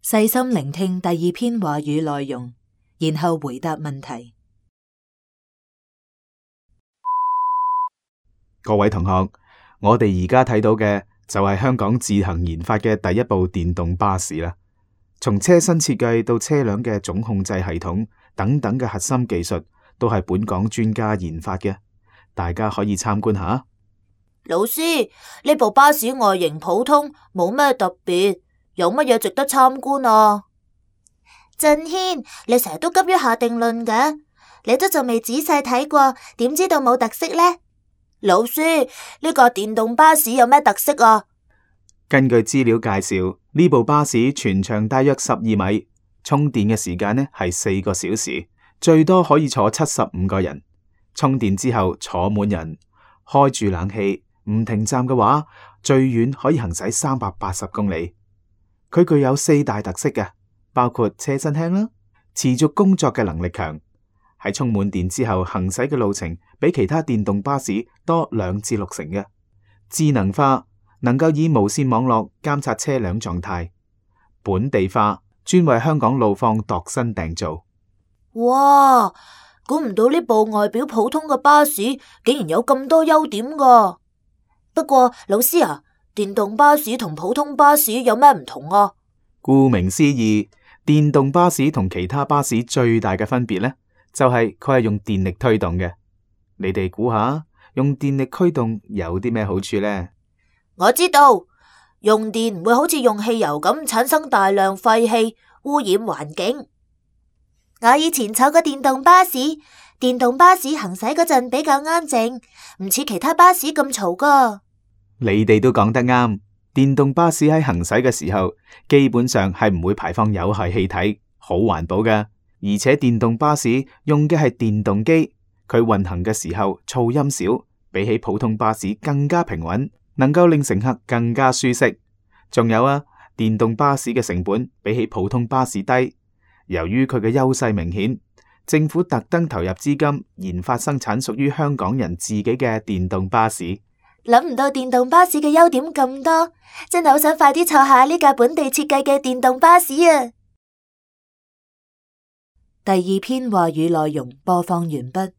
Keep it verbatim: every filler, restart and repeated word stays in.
細心聆聽第二篇話語內容，然後回答問題。各位同學，我哋而家睇到嘅就係香港自行研發嘅第一部電動巴士啦。從車身設計到車輛嘅總控制系統等等嘅核心技術，都係本港專家研發嘅。大家可以參觀下。老師，呢部巴士外形普通，冇咩特別，有乜嘢值得參觀啊？振軒，你成日都急於下定論嘅，你都仲未仔細睇過，點知道冇特色呢？老師，呢架電動巴士有咩特色啊？根據資料介紹，呢部巴士全長大約十二米，充電嘅時間呢係四個小時，最多可以坐七十五個人。充電之後坐滿人，開住冷氣，唔停站嘅話，最遠可以行駛三百八十公里。佢具有四大特色嘅，包括車身輕啦，持續工作嘅能力強。喺充滿電之後行駛嘅路程比其他電動巴士多兩至六成嘅。智能化，能夠以無線網絡監察車輛狀態。本地化，專為香港路況度身訂造。哇，估唔到呢部外表普通嘅巴士竟然有咁多優點噶。不過老師啊，電動巴士同普通巴士有咩唔同啊？顧名思義，電動巴士同其他巴士最大嘅分別呢，就係佢係用電力推動嘅。你哋估下，用電力驅動有啲咩好處呢？我知道，用電唔會好似用汽油咁產生大量廢氣，污染環境。我以前坐過電動巴士，電動巴士行駛嗰陣比較安靜，唔似其他巴士咁嘈噶。你哋都講得啱，電動巴士喺行駛嘅時候，基本上係唔會排放有害氣體，好環保噶。而且電動巴士用嘅係電動機，佢運行嘅時候噪音少，比起普通巴士更加平穩，能夠令乘客更加舒適。仲有啊，電動巴士嘅成本比起普通巴士低。由於佢嘅優勢明顯，政府特登投入資金研發生產屬於香港人自己嘅電動巴士。諗唔到電動巴士嘅優點咁多，真係好想快啲坐下呢架本地設計嘅電動巴士啊！第二篇話語內容播放完畢。